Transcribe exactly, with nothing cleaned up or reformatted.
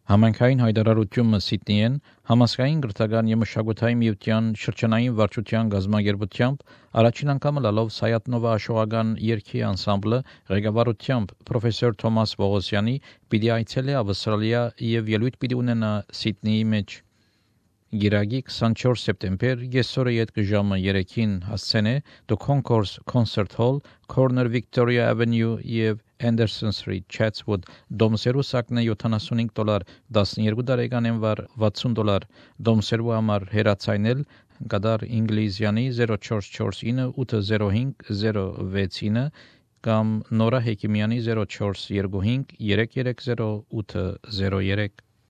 Համայնքային հայտարարությունը Սիդնեին համասկային գրթական և մշակութային միության շրջանային վարչության գազագերբությամբ առաջին անգամ լալով Սայաթնովա աշխուղական երգի անսամբլը ղեկավարությամբ պրոֆեսոր Թոմաս Պողոսյանի պիտի այցելի Ավստրալիա և ելույթ պիտի ունենա Սիդնեի մեջ։ Գիրագի քսանչորս սեպտեմբեր կեսօրը յետք ժամը երեքին հասցենե The Concourse Concert Hall, Corner Victoria Avenue և Anderson Street, Chatswood, դոմսերու սակնե յոթանասունհինգ դոլար, տասնյոթ տարեկանեն վար վաթսուն դոլար, դոմսերու համար հեռացայնել գադար ինգլիզյանի zero four four nine eight zero five zero six nine կամ Նորա Հեկիմյանի zero four two five three three zero eight zero three